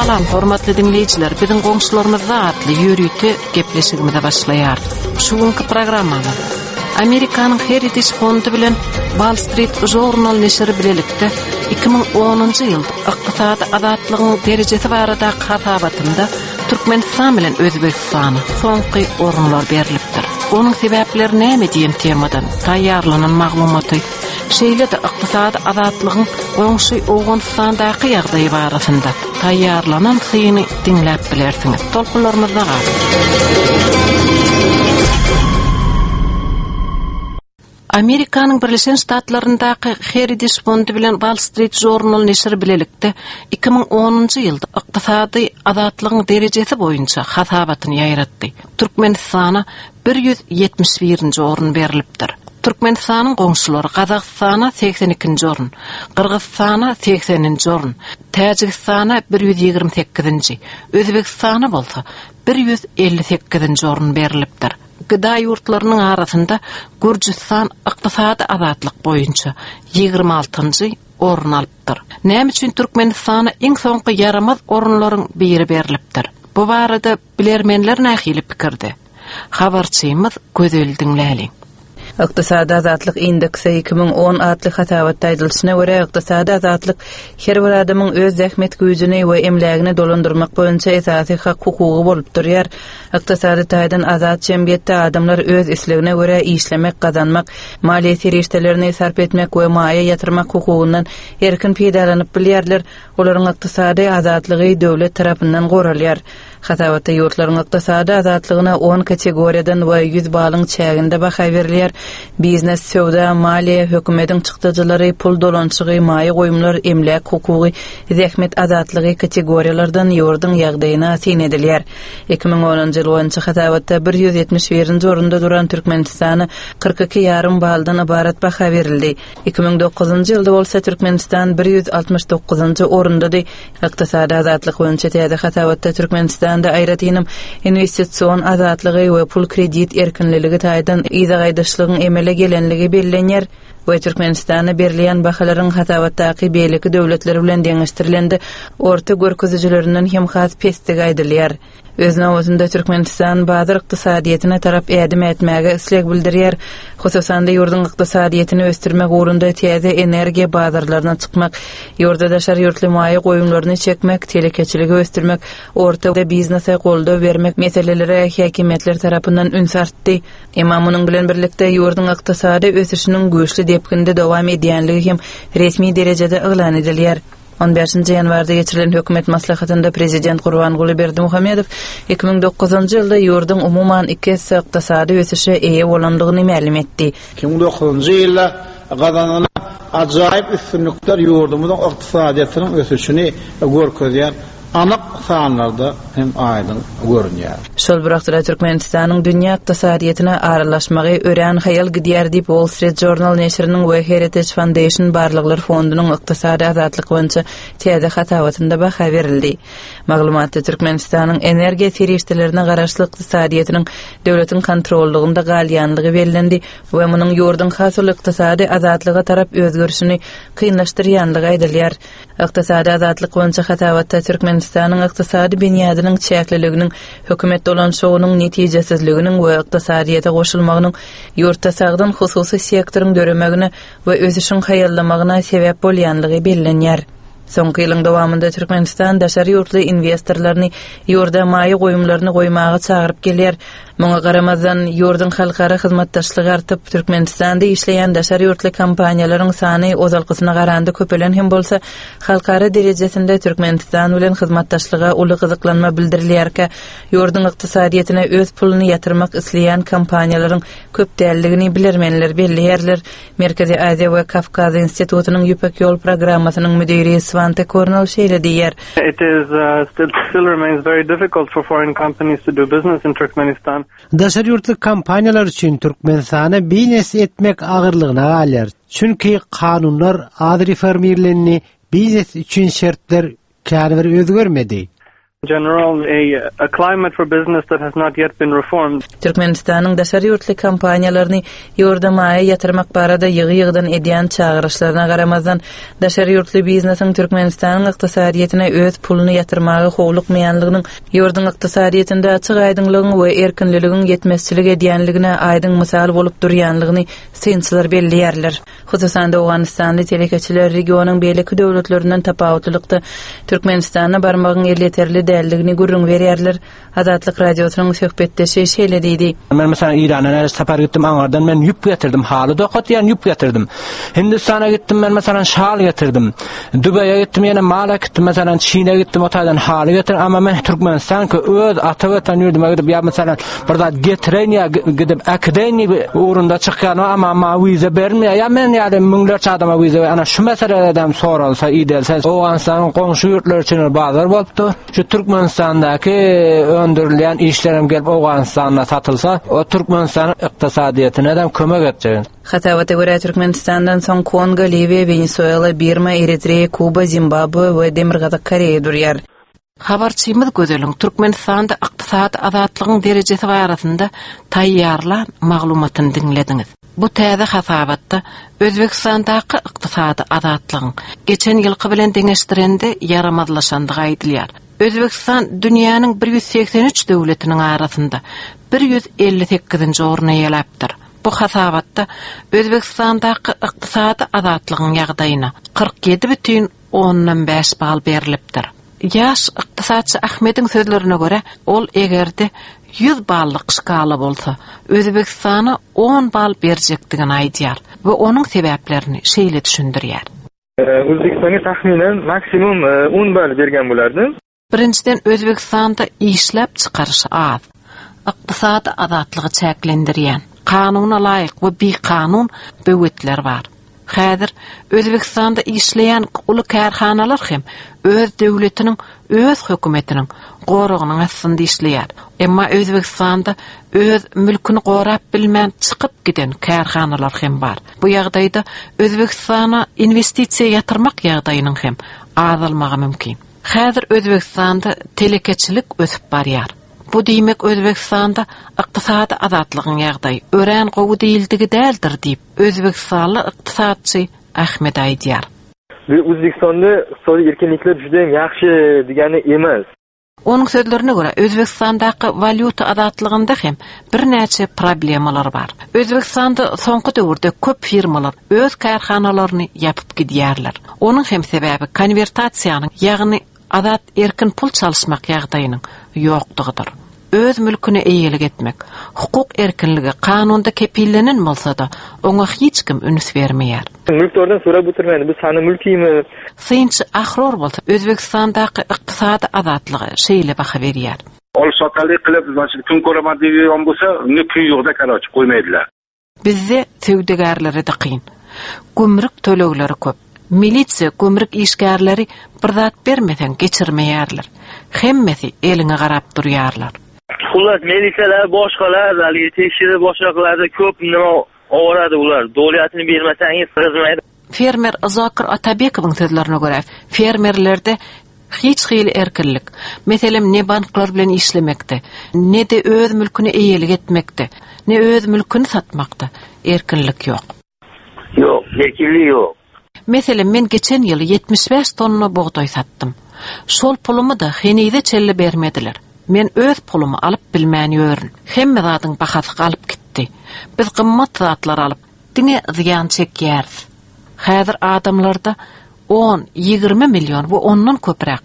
Salam hormatly diňleýjiler, biziň goňşularymyzda atly ýörite gepleşigimize başlaýarys. Şu günki programmamyzda Amerikanyň Heritage fondy bilen Wall Street Journal neşiri bilelikde 2010-njy ýylda ykdysady azatlygyň derejesi baradaky hasabatynda Türkmenistan bilen Özbegistana soňky orunlar berlipdir. Onuň sebäpleri näme diýen temadan taýýarlanan maglumaty, şeýle-de ykdysady azatlygyň goňşy Owganystandaky ýagdaýy barasynda taýýarlanan syny diňläp bilersiňiz. Tolkunlarymyzda galyň! Amerikanyň Birleşen Ştatlaryndaky Heritage fondy bilen Wall Street Journal neşiri bilelikde 2010-njy ýylda ykdysady azatlygyň derejesi boýunça hasabatyny ýaýratdy. Türkmenistana 171-nji orun berlipdir. Türkmenistanyň goňşulary Gazagystana 82-nji orun, Gyrgyzystana 80-nji orun, Täjigistana 128-nji, Özbegistana bolsa 158-nji orun berlipdir. Gda ýurtlarynyň arasynda Gürjüstan ykdysady azatlyk boýunça 26-njy orun alypdyr. Näme üçin Türkmenistana iň soňky ýaramaz orunlaryň biri berlipdir? Bu barada bilermenler nähili pikirde? Habarçymyz Gözeli diňläliň. Ykdysady azatlyk indeksi 2010 atly hasabatda aýdylyşyna görä, ykdysady azatlyk her bir adamyň öz zähmet güýjüni we emlägini dolandyrmak boýunça esasy hak-hukugy bolup durýar. Ykdysady taýdan azat jemgyýetde adamlar öz islegine görä işlemek, gazanmak, maliýe serişdelerini sarp etmek we maýa ýatyrmak hukugyndan erkin peýdalanyp bilýärler, olaryň ykdysady azatlygy döwlet tarapyndan goralýar. Hasabatda ýurtlaryň ykdysady azatlygyna on kategoriýadan we 100 balyň çäginde baha berilýär, biznes, söwda, maliýe, hökümetiň çykdajylary, pul dolanyşygy, maýa goýumlar, emläk hukugy, zähmet azatlygy kategoriýalardan ýurduň ýagdaýyna syn edilýär. 2010-njy ýyl boýunça hasabatda 171-nji orunda duran Türkmenistana 42 ýarym baldan ybarat baha berildi. 2009-njy ýylda bolsa Türkmenistan 169-njy orundady. Ykdysady azatlyk boýunça täze hasabatda Türkmenistanda aýratynam inwestision azatlygy we pul-kredit erkinliligi taýdan yza gaýdyşlygyň emele gelenligi bellenýär we Türkmenistana berilýän bahalaryň hasabatdaky beýleki döwletler bilen deňeşdirilende orta görkezijilerinden hem has pesdigi aýdylýar. Öz nobatynda Türkmenistan bazar ykdysadyýetine tarap ädim ätmäge isleg bildirýär. Hususan-da, ýurduň ykdysadyýetini ösdürmek ugrunda täze energiýa bazarlaryna çykmak, ýurda daşary ýurtly maýa goýumlaryny çekmek, telekeçiligi ösdürmek, orta biznese goldaw bermek meselelere häkimiýetler tarapyndan üns artdy. Emma munuň bilen birlikde, ýurduň ykdysady ösüşiniň güýçli depginde dowam edýänligi hem resmi derejede yglan edilýär. On bäşinji ýanwarda geçirilen hökümet maslahatynda prezident Gurbanguly Berdimuhamedow 2009-njy ýylda ýurduň umuman iki esse ykdysady ösüşe eýe bolandygyny mälim etdi. 2009-njy ýylda gazanylan ajaýyp üstünlikler ýurdumyzyň ykdysadyýetiniň ösüşini görkezýän anyk sanlarda hem aýdyň görünýär. Şol bir wagtda Türkmenistanyň dünýä ykdysadyýetine aralaşmagy örän haýal gidýär diýip, Wall Street Journal neşiriniň we Heritage Foundation barlaglar fondunyň ykdysady azatlyk boýunça täze hasabatynda baha berildi. Maglumatda Türkmenistanyň energiýa serişdelerine garaşly ykdysadyýetiniň döwletiň kontrollygynda galýanlygy bellendi we munuň ýurduň has uly ykdysady azatlyga tarap özgerişini kynlaşdyrýanlygy aýdylýar. Ykdysady azatlyk boýunça hasabatda Türkmenistanyň ykdysady binýadynyň çäkliliginiň, hökümet dolanyşygynyň netijesizliginiň we ykdysadyýete goşulmagynyň ýurtda sagdyn hususy sektoryň döremegine we ösüşiň haýallamagyna sebäp bolýanlygy bellenýär. Soňky ýylyň dowamynda Türkmenistan daşary ýurtly inwestorlaryny ýurda maýa goýumlaryny goýmaga çagyryp gelýär. Muňa garamazdan, ýurduň halkara hyzmatdaşlygy artyp, Türkmenistanda işleýän daşary ýurtly kompaniýalaryň sany ozalkysyna garanda köpelen hem bolsa, halkara derejesinde Türkmenistan bilen hyzmatdaşlyga uly gyzyklanma bildirilýärkä, ýurduň ykdysadyýetine öz puluny ýatyrmak isleýän kompaniýalaryň köp däldigini bilermenler belleýärler. Merkezi Aziýa we Kawkaz institutynyň Ýüpek ýol programmasynyň müdiri Swante Kornel şeýle diýýär. It is still remains very difficult for foreign companies to do business in Turkmenistan. Daşary ýurtly kompaniýalar üçin Türkmenistana biznes etmek agyrlygyna galýar. Çünki kanunlar az reformirlendi, biznes üçin şertler kän bir özgermedi. General a a climate for business that has not yet been reformed. Türkmenistanyň daşary ýurtly kompaniýalaryny ýurda maýa ýatyrmak barada ýygy-ýygydan edýän çagyryşlaryna garamazdan, daşary ýurtly biznesiň Türkmenistanyň ykdysadyýetine öz puluny ýatyrmaga howlukmaýanlygynyň ýurduň ykdysadyýetinde açyk-aýdyňlygyň we erkinliligiň ýetmezçilik edýänligine aýdyň mysal bolup durýanlygyny synçylar belleýärler. Hususan-da, owganystanly telekeçiler regionyň beýleki döwletlerinden tapawutlylykda, Türkmenistana barmagyň elýeterli däldigini gürrüň berýärler. Azatlyk Radiosynyň söhbetdeşi şeýle diýdi. Men meselem Eýrana näçe sapar gitdim, aňardan men ýüp getirdim, haly dokatýan ýüp getirdim. Hindistana gitdim men meselem şal getirdim. Dubaýa gitdim ýene mal äkitdim, meselem Çine gitdim o taýdan haly getirdim, amma men Türkmenistanky öz ata watan ýurduma gidip ýa meselem bir zat getireýin ýa gidip äkideýin diýip ugrunda çykýan amma maňa wiza berilmeýär. Ýa men ýaly müňlerçe adama wiza ana şu meselede soralsa, idelse Owganystanyň goňşy ýurtlary üçin bir bazar bolupdy. Şu Türkmenistandaky öndürilýän işler hem gelip Owganystanda satylsa, o Türkmenistanyň ykdysadyýetine hem kömek etjek. Hasabata görä, Türkmenistandan soň Kongo, Liwiýa, Wenesuela, Birma, Eritreýa, Kuba, Zimbabwe we Demirgazyk Koreýa durýar. Habarçymyz Gözeliň Türkmenistanda ykdysady azatlygyň derejesi barasynda taýýarlan maglumatyny diňlediňiz. Bu täze hasabatda Özbegistandaky ykdysady azatlygyň geçen ýylky bilen deňeşdirende ýaramazlaşandygy aýdylýar. Özbegistan dünýäniň 183 döwletiniň arasynda 158-nji orny eýeläpdir. Bu hasabatda Özbegistandaky ykdysady azatlygyň ýagdaýyna 47 bütin ondan bäş bal berlipdir. Ýaş ykdysatçy Ahmediň sözlerine görä, ol eger-de 100 ballyk şkala bolsa, Özbegistana on bal berjekdigini aýdýar we onuň sebäplerini şeýle düşündirýär. Özbegistanga tahminan maksimum on bal bergan bo'lardim. Birinjiden, Özbegistanda işläp çykaryş az. Ykdysady azatlygy çäklendirýän, kanuna laýyk we bikanun böwetler bar. Häzir Özbegistanda işleýän uly kärhanalar hem öz döwletiniň, öz hökümetiniň goragynyň astynda işleýär. Emma Özbegistanda öz mülküni gorap bilmän çykyp giden kärhanalar hem bar. Bu ýagdaýda Özbegistana inwestisiýa ýatyrmak ýagdaýynyň hem azalmagy mümkin. Häzir Özbegistanda telekeçilik ösüp barýar. Bu diýmek Özbegistanda ykdysady azatlygyň ýagdaýy örän gowy diýildigi däldir diýip, özbegistanly ykdysatçy Ahmed aýdýar. Bu O'zbekistonda iqtisodiy erkinliklar judayam yaxshi degani emas. Onuň sözlerine görä, Özbegistandaky walýuta azatlygynda hem birnäçe problemalar bar. Özbegistanda soňky döwürde köp firmalar öz kärhanalaryny ýapyp gidýärler. Onuň hem sebäbi konwertasiýanyň, ýagny azat erkin pul çalyşmak ýagdaýynyň ýokdugydyr. Öz mülküne eýelik etmek, hukuk erkinligi kanunda kepillenen bolsa-da, oňa hiç kim üns bermeýär. Mülkdardan sorap oturmaýdy, bu sany mülkimi? Synçy Ahror bolsa Özbegistandaky ykdysady azatlyga şeýle baha berýär. Ol sotalik qilib, значит, kun ko'raman degan bo'lsa, unga kun yo'qda, короче, qo'ymaydilar. Bizde söwdagärlere-de kyn. Gümrük tölegleri köp. Milisiýa, gümrük işgärleri bir zat bermeseň geçirmeýärler. Hemmesi eliňe garap durýarlar. Xullas, militsiyalar, boshqalar haligi tekshirib boshqa qiladi, ko'p nima oboradi ular. Doliyatini bermasangiz kirgizmaydi. Fermer Zokir Atabekowyň sözlerine görä, fermerlerde hiç hili erkinlik, meselem, ne banklar bilen işlemekde, ne-de öz mülküne eýelik etmekde, ne öz mülküni satmakda erkinlik ýok. Ýok, erkinlik ýok. Meselem, men geçen ýyl 75 tonna bugdaý satdym. Şol pulumy-da henize çenli bermediler. Men öz pulumy alyp bilmän ýörün. Hemme zadyň bahasy galyp gitdi. Biz gymmat zatlar alyp, Diňe zyýan çekýäris. Häzir adamlarda on, 20 million we ondan köpräk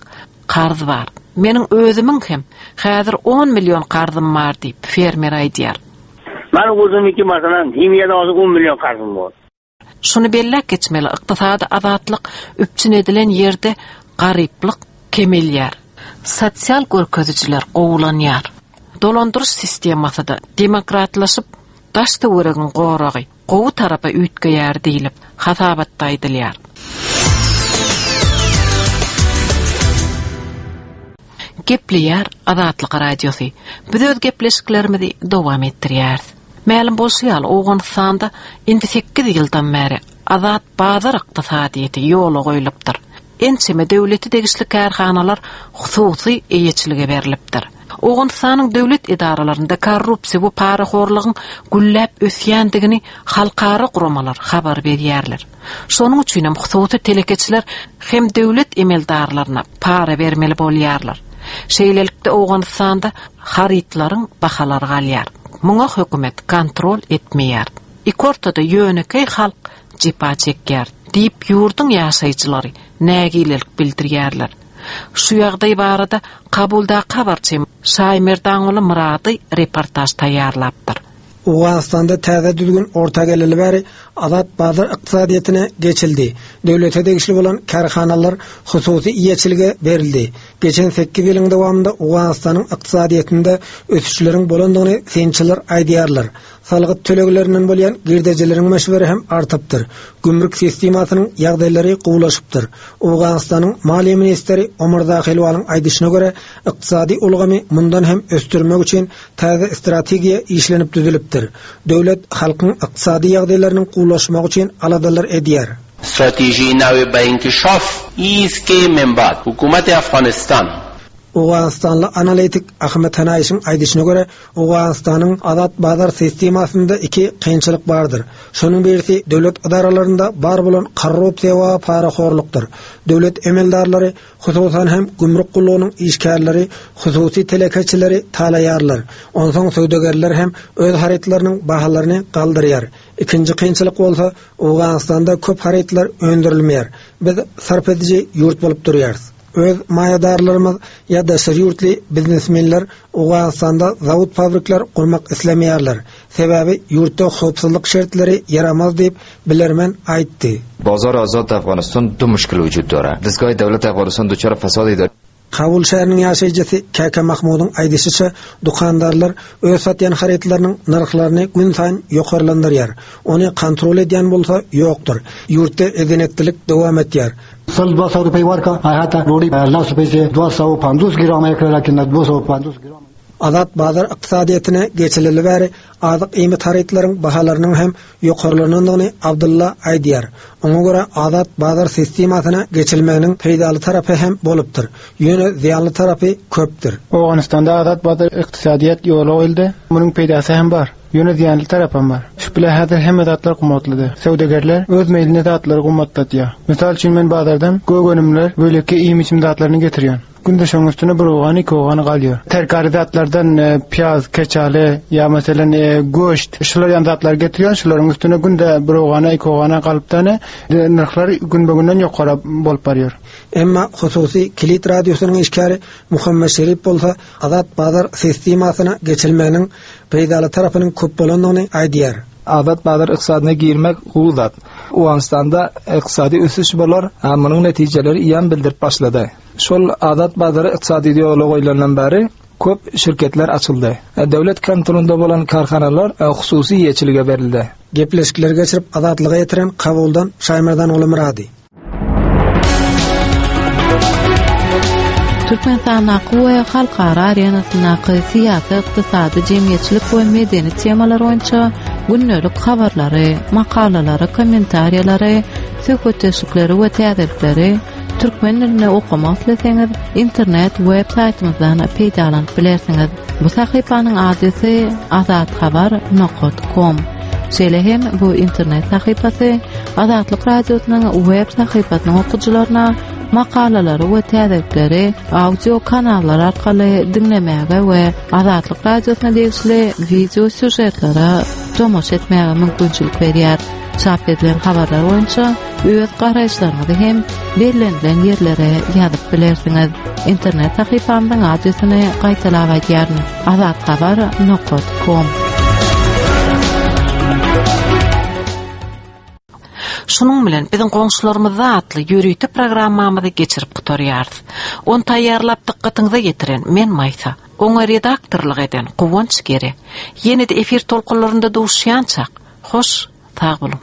karz bar. Meniň özümiň hem häzir on million karzym bar diýip, fermer aýdýar. Meniň özümiňki masalan, himiýada hozir on million karzym bor. Şuny belläp geçmeli, ykdysady azatlyk üpjün edilen ýerde garyplyk kemelýär, sosial görkezijiler gowulanýar. Dolandyryş sistemasy-da demokratlaşyp, daş-töweregiň goragy gowy tarapa üýtgeýär diýlip, hasabatda aýdylýar. Gepleýär Azatlyk Radiosy. Biz öz gepleşiklerimizi dowam etdirýäris. Mälim bolşy ýaly, Owganystanda indi sekiz ýyldan bäri azat bazar ykdysadyýeti ýola goýlupdyr. Ençeme döwlete degişli kärhanalar hususy eýeçilige berlipdir. Owganystanyň döwlet edaralarynda korrupsiýa we parahorlugyň gülläp ösýändigini halkara guramalar habar berýärler. Şonuň üçin hem hususy telekeçiler hem döwlet emeldarlaryna para bermeli bolýarlar. Şeýlelikde Owganystanda harytlaryň bahalary galýar. Muňa hökümet kontrol etmeýär. Ikortada ýönekeý halk jepa çekýär diýip ýurduň ýaşaýjylary nägilelik bildirýärler. Şu ýagdaý barada Kabuldaky habarçym Şaýmerdanguly Myrady reportaž taýýarlapdyr. Owganystanda täze düzgün orta geleli bäri azat bazar ykdysadyýetine geçildi. Döwlete degişli bolan kärhanalar hususy eýeçilige berildi. Geçen sekiz ýylyň dowamynda Owganystanyň ykdysadyýetinde ösüşleriň bolandygyny synçylar aýdýarlar. Salgyt töleglerinden bolýan girdejileriň möçberi hem artypdyr. Gümrük sistemasynyň ýagdaýlary gowulaşypdyr. Owganystanyň maliýe ministri Omar Zahilwalyň aýdyşyna görä, ykdysady ulgamy mundan hem ösdürmek üçin täze strategiýa işlenip düzülipdir. Döwlet halkyň ykdysady ýagdaýlarynyň gowulaşmagy üçin aladalar edýär. استراتژی نو به انکشاف ایست که من بعد حکومت افغانستان Owganystanly analitik Ahmet Hanaýşyň aýdyşyna görä, Owganystanyň azat bazar sistemasynda iki kynçylyk bardyr. Şonuň birisi döwlet edaralarynda bar bolan korrupsiýa we parahorlukdyr. Döwlet emeldarlary, hususan hem gümrük gullugynyň işgärleri hususy telekeçileri talaýarlar. Onsoň söwdagärler hem öz harytlarynyň bahalaryny galdyrýar. Ikinji kynçylyk bolsa, Owganystanda köp harytlar öndürilmeýär. Biz sarp ediji ýurt bolup durýarys. Öz maýadarlarymyz ýa daşary ýurtly biznesmenler Owganystanda zawod-fabrikler gurmak islemeýärler. Sebäbi ýurtda howpsuzlyk şertleri ýaramaz diýip, bilermen aýtdy. بازار آزاد در افغانستان دو مشکل وجود دارد دستگاه دولت افغانستان دچار فساد اداری Kabul şäheriniň ýaşaýjysy Käkä Mahmudyň aýdyşyça, dükandarlar öz satýan harytlarynyň nyrhlaryny günsaýyn ýokarlandyrýar. Ony kontrol edýän bolsa ýokdur. Ýurtda eden-etdilik dowam etýär. Azat bazar ykdysadyýetine geçileli bäri azyk-iýmit harytlaryň bahalarynyň hem ýokarlanandygyny Abdylla aýdýar. Oňa görä azat bazar sistemasyna geçilmeginiň peýdaly tarapy hem bolupdyr, ýöne zyýanly tarapy köpdür. Owganystanda azat bazar ykdysadyýet ýola goýuldy. Munuň peýdasy hem bar. Ýöne zyýanly tarapam bar. Şu bile häzir hemme zatlar gymmatlydy. Söwdagärler öz meýline zatlary gymmatlatýar. Mysal üçin men bazardan gök önümler, beýleki iýim-içim zatlaryny getirýän. Günde şoň üstüne bir owgan, iki owgan galýar. Terkary zatlardan pyýaz, keçaly ýa meselen göşt şular ýaly zatlary getirýän, şularyň üstüne günde bir owgana, iki owgana galypdany nyrhlar günbe-günden ýokara bolup barýar. Emma hususy Kilit radiosynyň işgäri Muhammet Şerip bolsa azat bazar sistemasyna geçilmeginiň peýdaly tarapynyň köp bolandygyny aýdýar. Azat bazar ykdysadyna girmek gowy zat. Owganystanda ykdysady ösüş bolar, munuň netijeleri eýýäm bildirip başlady. Şol azat bazary ykdysady ýola goýlandan bäri köp şirketler açyldy. Döwlet kontrolynda bolan kärhanalar hususy eýeçilige berildi. Gepleşikleri geçirip Azatlyga ýetiren Kabuldan Şaýmerdan Gulumyrady. Türkmenistandaky we halkara arenasyndaky syýasy, ykdysady, jemgyýetçilik we medeni temalar boýunça gündelik habarlary, makalalary, kommentariýalary, söhbetdeşlikleri we täzelikleri türkmen dilinde okamak isleseňiz, internet web saýtymyzdan peýdalanyp bilersiňiz. Bu sahypanyň adresi azathabar nokat kom. Şeýle hem bu internet sahypasy Azatlyk Radiosynyň web sahypasynyň okyjylaryna makalalary we täzelikleri audio kanallar arkaly diňlemäge we Azatlyk Radiosyna degişli wideo sýužetlere tomaşa etmäge mümkinçilik berýär. Çap edilen habarlar boýunça öz garaýyşlaryňyzy hem bellenilen ýerlere ýazyp bilersiňiz. Internet sahypamyzyň adresini gaýtalap aýdýaryn, azathabar nokat kom. Şunuň bilen biziň goňşularymyzda atly ýörite programmamyzy geçirip gutarýarys. Ony taýýarlap dykgatyňyza ýetiren men Maýsa. Oňa redaktorlyk eden Guwanç Gere. Ýene-de efir tolkunlarynda duşýançak, hoş, sag boluň!